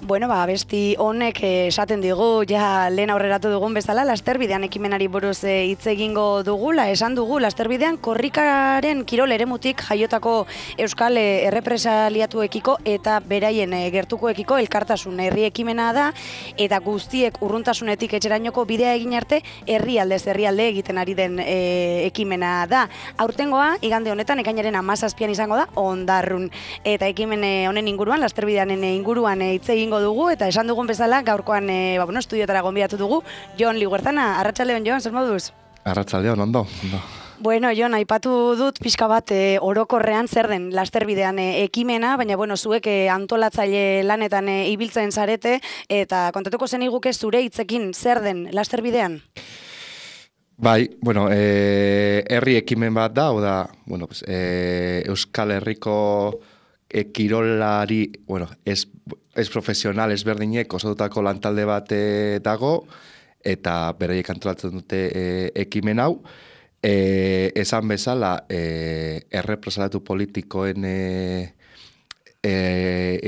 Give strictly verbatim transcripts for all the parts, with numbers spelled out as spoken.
Bueno, ba, abesti honek esaten digu, ja lehen aurreratu dugun bezala, Lasterbidean ekimenari buruz hitz egingo dugula, esan dugu, Lasterbidean korrikaren kirol eremutik jaiotako euskal errepresaliatuekiko eta beraien gertukoekiko elkartasun herri ekimena da, eta guztiek urruntasunetik etxerainoko bidea egin arte, herrialdez herrialde egiten ari den e, ekimena da. Aurtengoa, igande honetan, ekainaren hamazazpian izango da, Ondarrun. Eta ekimen honen inguruan, Lasterbideanen inguruan hitz egingo dugu, eta esan dugun bezala, gaurkoan e, ba, bueno, estudiotara gonbidatu dugu, Jon Liguerzana. Arratsaldeon, Jon, zer moduz? Arratsaldeon, ondo, ondo. Bueno, Jon, aipatu dut pixka bat e, orokorrean zer den Lasterbidean e, ekimena, baina bueno, zuek e, antolatzaile lanetan e, ibiltzen zarete, eta kontatuko zen iguke zure hitzekin zer den Lasterbidean? Bai, bueno, e, herri ekimen bat da, oda, bueno, pues, e, Euskal Herriko e, kirolari, bueno, ez, ez profesional ezberdinek osatutako lantalde bat e, dago, eta beraiek antolatzen dute e, ekimen hau. E, esan bezala, e, errepresaliatu politikoen e, e,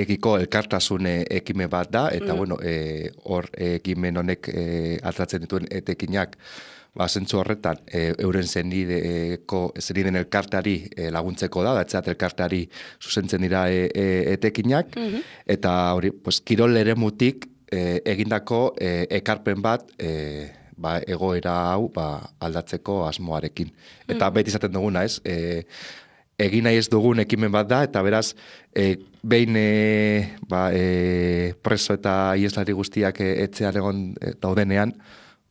ekiko elkartasun ekimen bat da, eta mm. bueno, e, hor ekimen honek e, ateratzen dituen etekinak, ba, zentzu horretan, e, euren zenideko, zeniden elkartari e, laguntzeko da, datzeat elkartari zuzentzen dira e, e, etekinak, mm-hmm. eta hori, pues, kirol eremutik e, egindako e, ekarpen bat, e, ba, egoera hau ba, aldatzeko asmoarekin. Eta mm. beti izaten duguna, ez? E, egin nahi ez dugun ekimen bat da, eta beraz, e, behin e, ba, e, preso eta ieslari guztiak e, etxean egon e, daudenean,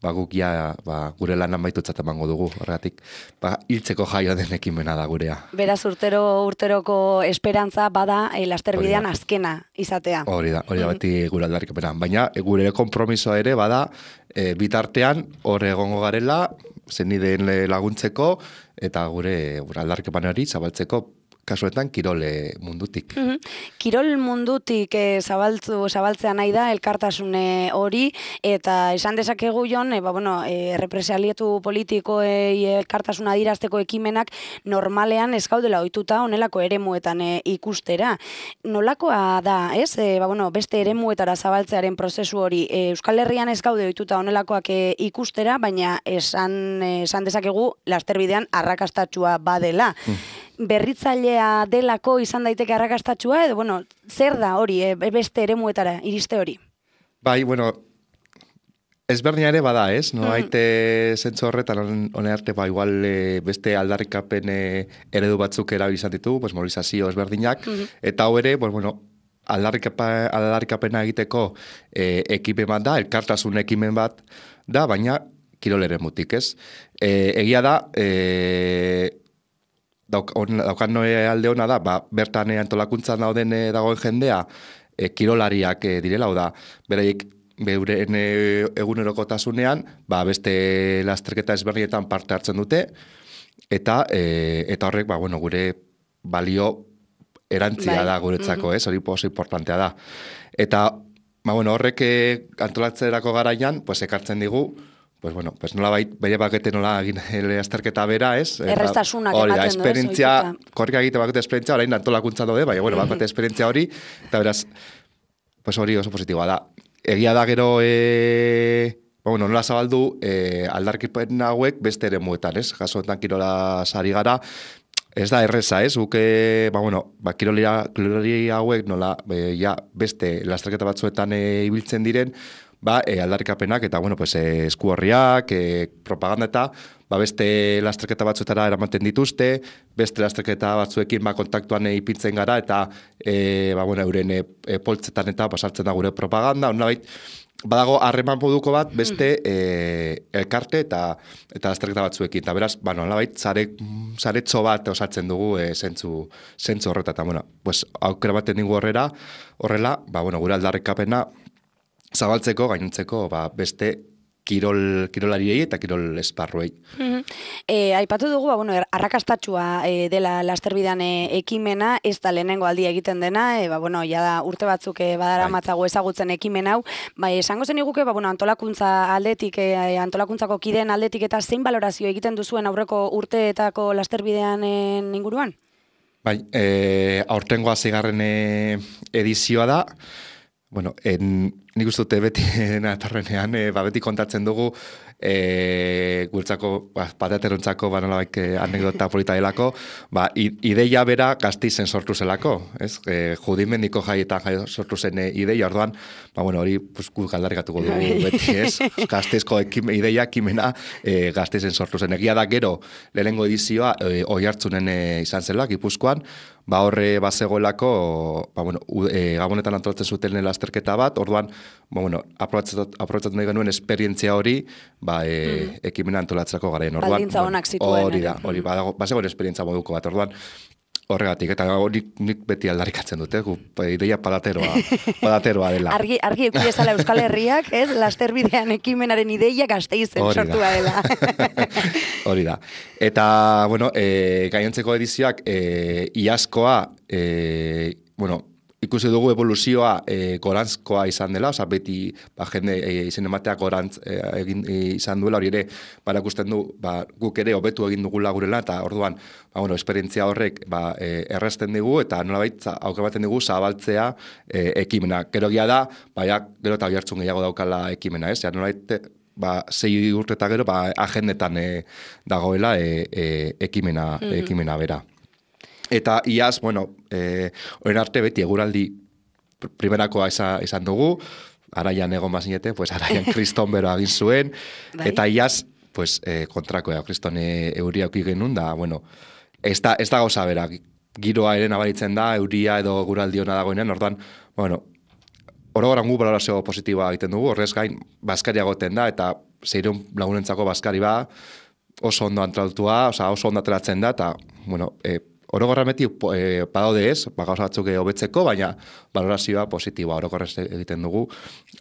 ba, guk ja, ba, gure lan amaitutzat emango dugu, horregatik, ba, hiltzeko jaio den ekimena da gurea. Beraz, urtero urteroko esperantza bada e, Lasterbidean azkena izatea. Hori da, hori da beti gure aldarrikapena. Baina, gure konpromisoa ere bada, e, bitartean, hor egongo garela, zenideen laguntzeko, eta gure, gure aldarrikapenari zabaltzeko, kasuetan kirole mundutik. Mm-hmm. Kirol mundutik e, zabaltzu, zabaltzea nahi da elkartasune hori, eta esan dezakegu Jon, e, ba, bueno, e, represaliatu politikoei elkartasuna adirazteko ekimenak normalean ez gaudela ohituta honelako eremuetan e, ikustera. Nolakoa da, ez? E, ba, bueno, beste eremuetara zabaltzearen prozesu hori e, Euskal Herrian ez gaude ohituta honelakoak e, ikustera, baina esan, esan dezakegu Lasterbidean arrakastatsua badela. Mm. Berritzailea delako izan daiteke arrakastatsua, edo, bueno, zer da hori, e, beste eremuetara, iriste hori? Bai, bueno, ezberdina ere bada, ez? No, mm. haite zentzu horretan, hone arte, ba, igual e, beste aldarrikapen e, eredu batzuk erabilizan ditu, pues, mobilizazio ezberdinak, mm-hmm. eta hau ere, pues, bueno, aldarrikapena, aldarrikapena egiteko e, ekimen bat da, elkartasun ekimen bat da, baina kirol eremutik, ez? E, egia da, e, Dauk, on, daukan noe alde hona da, ba, bertan antolakuntzan dauden e, dagoen jendea, e, kirolariak e, direla, da, beraiek beuren e, egunerokotasunean, ba, beste lasterketa ezberdinetan parte hartzen dute, eta e, eta horrek, ba, bueno, gure balio erantzia bai. Da guretzako, mm-hmm. ez, hori oso importantea da. Eta, ba, bueno, horrek e, antolatzerako garaian, pues, ekartzen digu, pues bueno, pues nola bait, bere bakete nola egin azterketa bera, ez? Errestasunak ematen du, ez? Esperientzia, korrika egite bakete esperientzia, orain antolakuntza daude, baina, bueno, bakete esperientzia hori, eta beraz, pues hori oso positiboa da. Egia da gero, e, bueno, nola zabaldu, e, aldarkipen hauek beste ere muetan, ez? Jasoetan kirola sari gara, ez da erreza, ez? Guke, ba, bueno, ba, kirolia, kirolia hauek nola, e, ja, beste lasterketa batzuetan e, ibiltzen diren, ba, e, aldarrikapenak eta, bueno, pues, e, esku horriak, e, propaganda eta, ba, beste lasterketa batzuetara eramaten dituzte, beste lasterketa batzuekin, ba, kontaktuan e, ipintzen gara, eta, e, ba, bueno, euren e, e, poltzetan eta pasartzen da gure propaganda, hona bait, badago harreman moduko bat beste e, elkarte eta eta lasterketa batzuekin, eta beraz, ba, nola bait, zare, zaretxo bat osatzen dugu e, zentzu, zentzu horreta, eta, bueno, pues, aukera baten digu horrela, horrela, ba, bueno, gure aldarrikapena, zabaltzeko, gainontzeko, ba, beste kirol, kirolariei eta kirol esparruei. Mm-hmm. E, aipatu dugu, ba, bueno, arrakastatsua e, dela Lasterbidean e, ekimena, ez da lehenengo aldia egiten dena, e, ba, bueno, ja da urte batzuk e, badara matzago ezagutzen ekimen hau, ba, esango zen iguke, ba, bueno, antolakuntza aldetik, e, antolakuntzako kideen aldetik eta zein balorazio egiten duzuen aurreko urteetako Lasterbidean inguruan? Bai, e, aurtengoa zigarren edizioa da, Bueno, en, nik uste dute beti natorrenean, e, ba, beti kontatzen dugu, e, gurtzako, ba, pateaterontzako, ba, nolabait anekdota polita delako, ba, ideia bera Gasteizen sortu zelako, ez? E, judimendiko jaietan jai sortu zen e, ideia, orduan, ba, bueno, hori, pues, gu galdarikatuko dugu beti, ez? Gasteizko ekime, ideia, ekimena e, Gasteizen sortu zen. Egia da gero, lehenengo edizioa, e, Oiartzunen e, izan zela, Gipuzkoan, ba horre bazegoelako, ba bueno, e, Gabonetan antolatzen zuten lasterketa bat, orduan, ba bueno, aprobetxatu nahi genuen esperientzia hori, ba e, mm. ekimena antolatzeko garaien. Orduan, baldintza honak zituen. Hori da, hori, ba, bazegoen esperientzia moduko bat, orduan, horregatik, eta hori nik beti aldarrikatzen dute, gu, ideia padateroa, padateroa dela. Argi, argi eukidezala Euskal Herriak, ez, lasterbidean ekimenaren ideia Gasteizen sortua dela. Hori da. Eta, bueno, e, gainontzeko edizioak, e, iazkoa, e, bueno, ikusi dugu evoluzioa e, gorantzkoa izan dela, oza, beti ba, jende e, izen emateak gorantz e, egin e, izan duela, hori ere, barakusten du, ba, guk ere hobetu egin dugula gurela, eta orduan, ba, bueno, esperientzia horrek ba, e, erresten digu, eta nolabait aukeratzen digu zabaltzea e, ekimena. Gero gia da, ba, ja, gero eta bihartzun gehiago daukala ekimena, ez? Ja, nolabait, ba, zei urte eta gero, ba, agendetan e, dagoela e, e, ekimena, mm-hmm. ekimena bera. Eta iaz, bueno, eh, orain arte beti eguraldi primerakoa izan, izan dugu, araian egon bazinete, pues araian kriston bero egin zuen, eta iaz, pues, eh, kontrakoa, kriston e, euria auki genuen, da, bueno, ez da, ez da gauza bera, giroa ere nabaritzen da, euria edo eguraldi hona dagoenean, orduan, bueno, orogoran gu balorazio positiboa egiten dugu, horrez gain, baskaria goten da, eta zeireun lagunentzako baskari ba, oso ondo antrautua, oza, oso ondo ateratzen da, eta, bueno, e, orokorra beti e, badaude ez, gauza batzuk hobetzeko, baina valorazioa positiboa orokorrez egiten dugu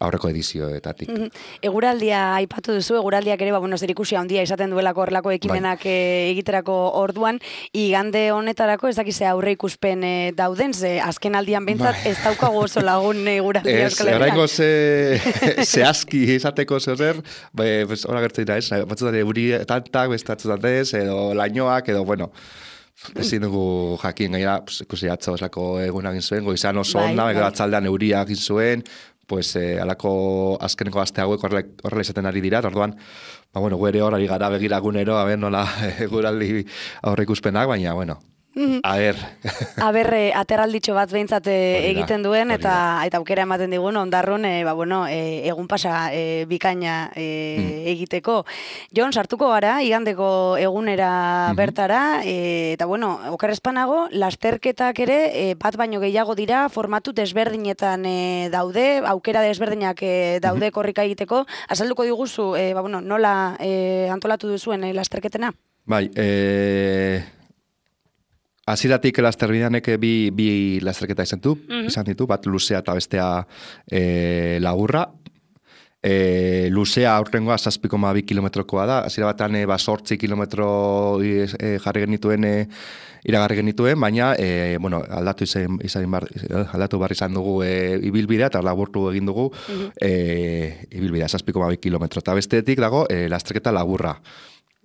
aurreko edizioetatik. Mm -hmm. Eguraldia aipatu duzu, eguraldiak ere, ba, bueno, zerikusia handia izaten duelako horrelako ekimenak bai. e, egiterako orduan, igande honetarako ez dakize aurre ikuspen e, dauden, ze azken aldian bentsat bai. Ez daukago oso lagun eguraldia Euskal Herrian. Ez, oraingo ze, zehazki izateko zer, pues, hora gertzen da ez, batzutan euri tantak, bestatzutan ez, edo lainoak, edo, bueno, ezin dugu jakin gaira, pues, ikusi atzo esako egun egin zuen, goizan oso bai, onda, bai. Atzaldean euria egin zuen, pues, eh, alako azkeneko aste hauek horrela izaten ari dira, orduan, ba, bueno, guere horari gara begiragunero, a ber, nola eguraldi aurre ikuspenak, baina, bueno, a ber. A ber, eh, aterralditxo bat behintzat eh, egiten duen, eta eta aukera ematen digun, ondarrun, eh, ba, bueno, eh, egun pasa eh, bikaina eh, mm. egiteko. Jon, sartuko gara, igandeko egunera mm-hmm. bertara, eh, eta bueno, okerrezpanago, lasterketak ere, eh, bat baino gehiago dira, formatu desberdinetan eh, daude, aukera desberdinak eh, daude mm-hmm. korrika egiteko. Azalduko diguzu, eh, ba, bueno, nola eh, antolatu duzuen eh, lasterketena? Bai, eh... Aziratik lasterbideanek bi, bi lasterketa izan du, mm-hmm. izan ditu, bat luzea eta bestea e, lagurra. E, luzea aurtengoa zazpi koma bi kilometrokoa da, azira batan e, ba, sortzi kilometro e, jarri genituen, e, iragarri genituen, baina e, bueno, aldatu, izan, izan bar, aldatu barri izan dugu e, ibilbidea, eta laburtu egin dugu mm-hmm. e, ibilbidea, zazpi koma bi kilometro. Eta bestetik dago e, lasterketa lagurra.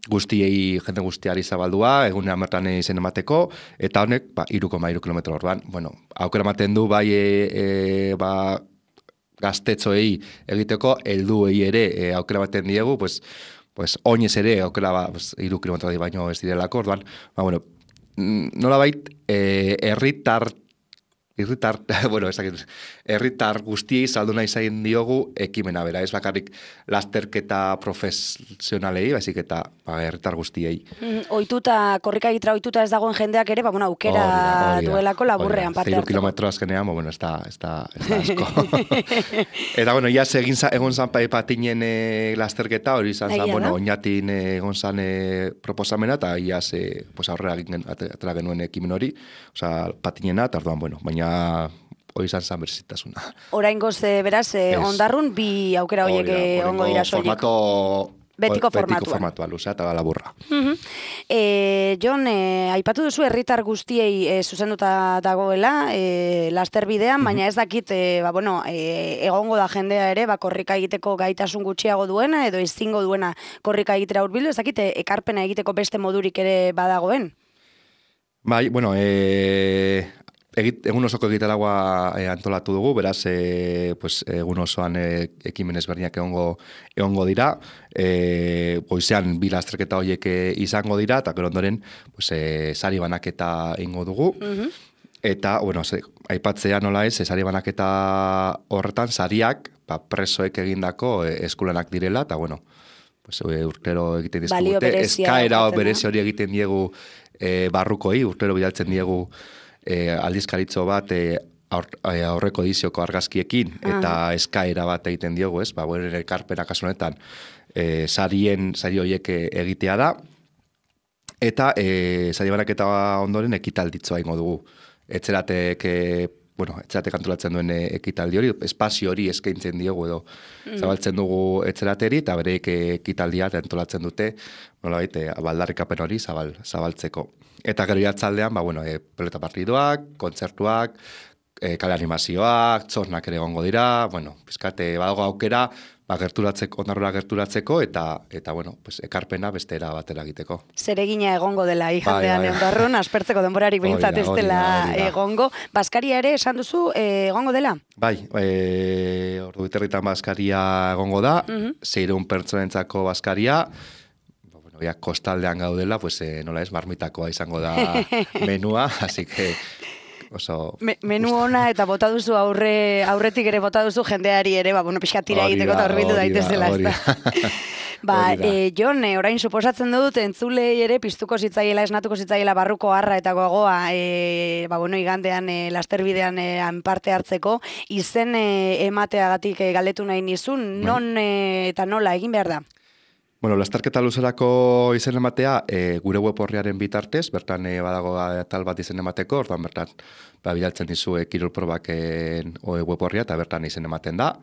Guztiei, jende guztiari zabaldua, egunean bertan izen emateko, eta honek, ba, iru koma iru kilometro orduan. Bueno, aukera ematen du, bai, e, e, ba, gaztetxoei egiteko, helduei ere e, aukera ematen diegu, pues, pues, oinez ere, aukera, ba, pues, iru kilometro di baino ez direlako, orduan, ba, bueno, nola bait, e, herritar, herritar, bueno, ezakit, herritar guztiei saldu nahi zain diogu ekimena bera, ez bakarrik lasterketa profesionalei, baizik eta ba, herritar guztiei. Mm, oituta, korrika egitra oituta ez dagoen jendeak ere, ba, bueno, aukera orida, orida, duelako laburrean parte hartzeko. Zeiru kilometro azkenean, bueno, ez da, ez da, ez da asko. Eta, bueno, iaz egin za, egon zan patinen e, lasterketa, hori izan zan, bueno, oinatin e, egon zan e, proposamena, eta iaz e, pues, aurrera atera genuen ekimen hori, osea, patinena, eta orduan, bueno, baina hori izan zan berzitasuna. Oraingoz, beraz, eh, ondarrun bi aukera horiek ongo dira soilik. Formato... Betiko formatuan. Betiko formatua, luzea eta laburra. Uh-huh. E, Jon, e, aipatu duzu herritar guztiei e, zuzenduta dagoela, e, lasterbidean, uh-huh. baina ez dakit, e, ba, bueno, e, egongo da jendea ere, ba, korrika egiteko gaitasun gutxiago duena, edo ezingo duena korrika egitera hurbildu, ez dakit, e, ekarpena egiteko beste modurik ere badagoen? Bai, bueno, e, egit, egun osoko egitaragua e, antolatu dugu, beraz, e, pues, egun osoan e, ekimen ezberdinak egongo, egongo dira, e, goizean bi lasterketa horiek izango dira, eta gero ondoren pues, e, sari banaketa ingo dugu, mm-hmm. Eta, bueno, ze, aipatzea nola ez, sari banaketa horretan, sariak, ba, presoek egindako e, eskulanak direla, eta, bueno, pues, e, urtero egiten dizkigute, eskaera berezi hori egiten diegu e, barrukoi, urtero bidaltzen diegu e, aldizkaritzo bat e, aur, e, aurreko edizioko argazkiekin, eta uh-huh. eskaera bat egiten diogu, ez? Ba, bueno, ekarpena kasu honetan, e, sarien, sari horiek egitea da, eta e, sari banaketa ondoren ekitalditzoa ingo dugu. Etzeratek, e, bueno, etzeratek antolatzen duen ekitaldi hori, espazio hori eskaintzen diogu edo mm. zabaltzen dugu etzerateri, eta bereik ekitaldia antolatzen dute, nolabait, e, baldarrikapen hori zabal, zabaltzeko. Eta gero jatzaldean, ba, bueno, e, pelota partiduak, kontzertuak, e, kale animazioak, txornak ere egongo dira, bueno, pizkate, badago aukera, ba, gerturatzeko, ondarrora gerturatzeko, eta, eta bueno, pues, ekarpena bestera batera egiteko. Zeregina egongo dela igandean ondarrun, aspertzeko denborarik behintzat ez dela egongo. Baskaria ere, esan duzu, e, egongo dela? Bai, e, ordu biterritan baskaria egongo da, uh-huh. seireun pertsonentzako baskaria, bueno, ya kostaldean gaudela, pues, e, nola ez, marmitakoa izango da menua, así que... Oso, Me, menu ona eta bota duzu aurre, aurretik ere bota duzu jendeari ere, ba, bueno, pixka tira egiteko eta horbildu daitezela. Ba, e, Jon, e, orain suposatzen dut, entzulei ere piztuko zitzaiela, esnatuko zitzaiela barruko harra eta gogoa, e, ba, bueno, igandean, e, lasterbidean e, parte hartzeko, izen e, emateagatik e, galdetu nahi nizun, non e, eta nola egin behar da? Bueno, lasterketa luzerako izen ematea e, gure web horriaren bitartez, bertan e, badago tal bat izen emateko, orduan bertan ba, bidaltzen dizu e, kirolprobaken web horria eta bertan izen ematen da.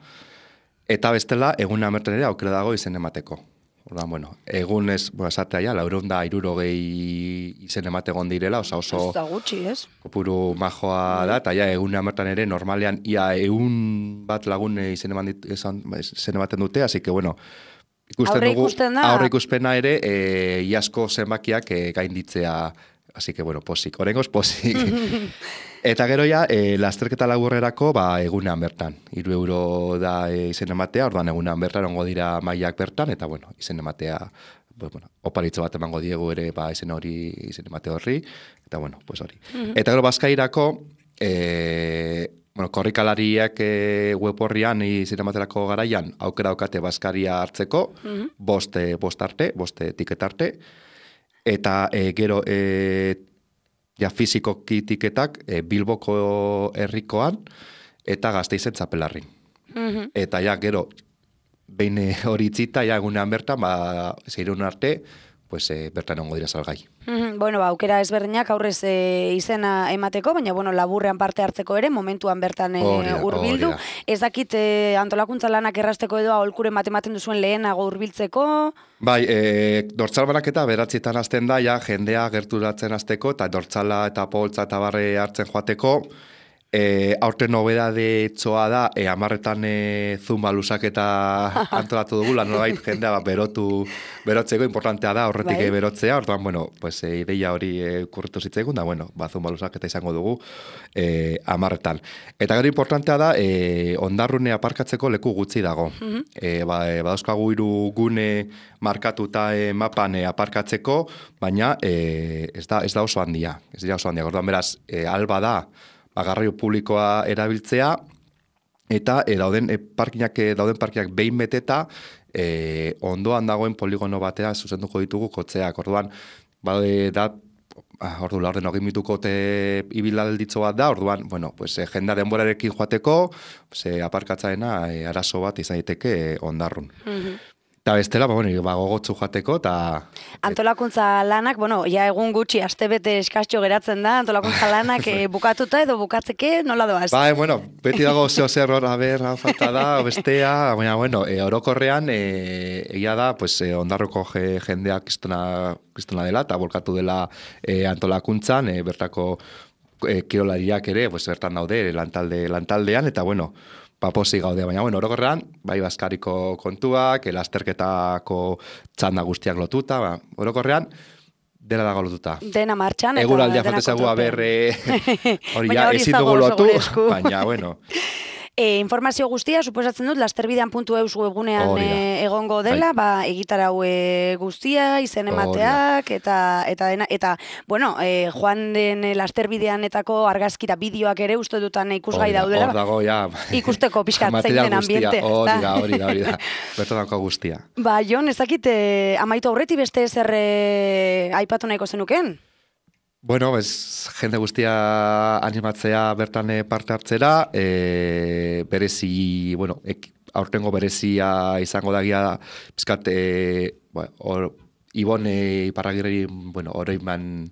Eta bestela, egun amerten ere aukera dago izen emateko. Orduan, bueno, egun ez, bueno, esatea ja, laurehun da hirurogei izen emategon direla, oso oso... Ez da gutxi, ez? Kopuru majoa da, eta ja, egun amertan ere, normalean, ia egun bat lagun izen ematen dute, así que, bueno, ikusten aurre dugu, ikusten da. Aurre ikuspena ere, e, iasko zenbakiak e, gainditzea, así que, bueno, posik, orengoz posik. Eta gero ja, e, lasterketa laburrerako, ba, egunean bertan. Hiru euro da e, izen ematea, orduan egunean bertan ongo dira mailak bertan, eta, bueno, izen ematea, bueno, oparitzo bat emango diegu ere, ba, izen hori, izen emate horri, eta, bueno, pues hori. Uh-huh. Eta gero, bazkairako, e, bueno, korrikalariak e, web horrian izen ematerako garaian, aukera daukate bazkaria hartzeko, uh-huh. bost, e, bost arte, bost tiket arte, eta e, gero, e, ja fizikoki tiketak e, Bilboko herrikoan eta Gasteizen txapelarrin. Uh-huh. Eta ja gero, behin hori itzita, ja egunean bertan, ba, zeirun arte, pues, e, bertan ongo dira salgai. Uh-huh. Bueno, ba, aukera ezberdinak aurrez e, izena emateko, baina bueno, laburrean parte hartzeko ere, momentuan bertan e, hurbildu. Ez dakit e, antolakuntza lanak errazteko edo aholkuren bat ematen duzuen lehenago hurbiltzeko? Bai, e, dortzal banaketa beratzietan hasten da, ja, jendea gerturatzen hasteko, eta dortzala eta poltza eta barre hartzen joateko. E, aurten nobedade txoa da, e, amarretan e, zumba lusaketa antolatu dugula, nolabait jendea ba, berotu, berotzeko importantea da, horretik bai. Berotzea, orduan, bueno, pues, e, ideia hori e, kurritu zitzaigun, da, bueno, ba, zumba lusaketa izango dugu e, amarretan. Eta gero importantea da, e, ondarrune aparkatzeko leku gutxi dago. Uh-huh. e, ba, e, badauzkagu hiru gune markatuta e, mapan e, aparkatzeko, baina e, ez, da, ez da oso handia, ez dira oso handia, orduan beraz, e, alba da, garraio publikoa erabiltzea, eta e, dauden e, parkinak, e, dauden parkinak behin beteta, e, ondoan dagoen poligono batea zuzenduko ditugu kotzeak. Orduan, bade, da, ordu laurden hogei mituko te ibilalditzo bat da, orduan, bueno, pues, e, jendea denborarekin joateko, pues, e, aparkatzaena e, arazo bat izan daiteke e, ondarrun. Mm-hmm. Eta bestela, ba, bueno, ba, gogotzu joateko, eta... Antolakuntza lanak, bueno, ja egun gutxi, astebete eskastxo geratzen da, antolakuntza lanak e, bukatuta edo bukatzeke, nola doaz? Ba, bueno, beti dago zeo zer hor, a ber, falta da, bestea, baina, bueno, e, orokorrean, e, egia da, pues, e, ondarroko je, jendeak kristona, kristona dela, eta bolkatu dela e, antolakuntzan, e, bertako e, kirolariak ere, pues, bertan daude, lantalde, lantaldean, eta, bueno, paposi gaude, baina, bueno, orokorrean, bai bazkariko kontuak, lasterketako txanda guztiak lotuta, ba, orokorrean, dela dago lotuta. Dena martxan. Eguraldia faltezagu aberre hori ja ezin dugu lotu, baina, bueno. E, informazio guztia, suposatzen dut, lasterbidean puntu eus webgunean e, egongo dela, ba, egitarau e, guztia, izen emateak, eta, eta, dena, eta, bueno, e, joan den lasterbideanetako argazkira bideoak ere uste dutan ikusgai daudela. Hor dago, ja. Ikusteko pixkat zein den ambiente. Hori da, hori da, hori da. Bertan dago guztia. Ba, Jon, ezakit, e, amaitu aurreti beste zer e, aipatu nahiko zenuken? Bueno, ez, jende guztia animatzea bertan parte hartzera, e, berezi, bueno, ek, aurtengo berezia izango dagia, bizkat, e, bueno, or, Ibone Iparragirri, bueno, oroiman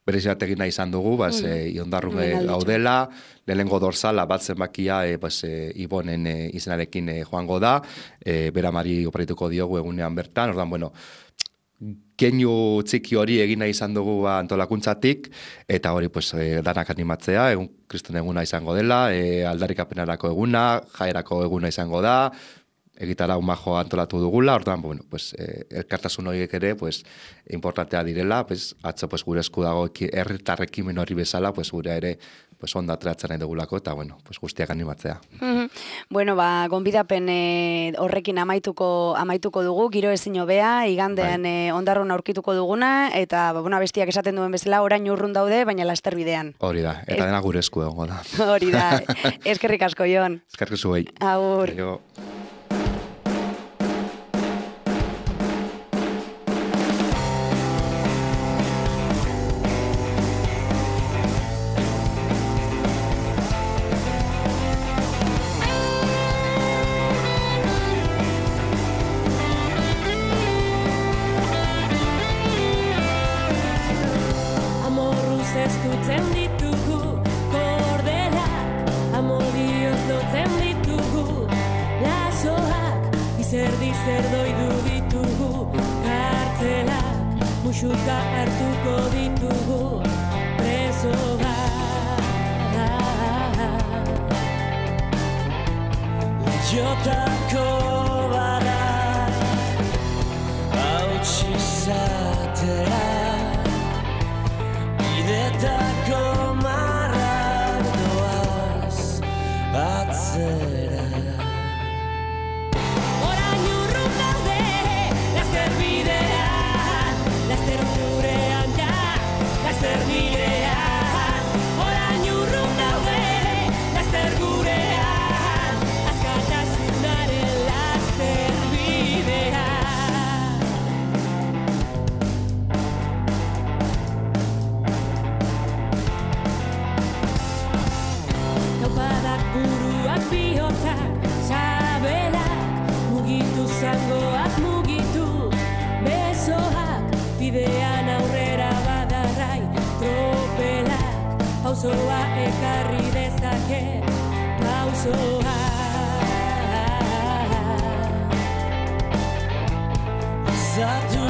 berezi bat egin nahi izan dugu, bas, mm. e, iondarrun gaudela, lehenengo dorsala bat zenbakia, e, bas, e, Ibonen e, izenarekin e, joango da, e, beramari operituko diogu egunean bertan, ordan, bueno, keinu txiki hori egina izan dugu ba, antolakuntzatik, eta hori pues, e, danak animatzea, egun kriston eguna izango dela, e, aldarrikapenarako eguna, jaerako eguna izango da, egitara majo antolatu dugula, orduan, bueno, pues, e, elkartasun horiek ere, pues, importantea direla, pues, atzo pues, gure esku dago herritarrekin hori bezala, pues, gure ere pues, onda ateratzen nahi dugulako, eta bueno, pues, guztiak animatzea. Mm-hmm. Bueno, ba, gonbidapen e, horrekin amaituko amaituko dugu, giro ezin hobea, igandean bai. e, ondarrun aurkituko duguna, eta ba, bueno, bestiak esaten duen bezala, orain urrun daude, baina lasterbidean. Hori da, eta es... dena gure esku egongo da. Hori da, eskerrik asko, Jon. Eskerrik zuei. Agur. Aio. Muxuka hartuko ditugu presoa. Jotako bara hautsi zatera, bidetako marrak doaz atzera. Orain urrun daude laster bidean, laster zurean ja, laster bidean. Orain urrun daude laster gurean, askatasunaren laster bidean. Taupadak buruak bihotzak, sabelak, mugitu zangoak mugitu, besoak, bidean aurrera badarrai, tropelak, pausoa ekarri dezake, pausoa. Zatu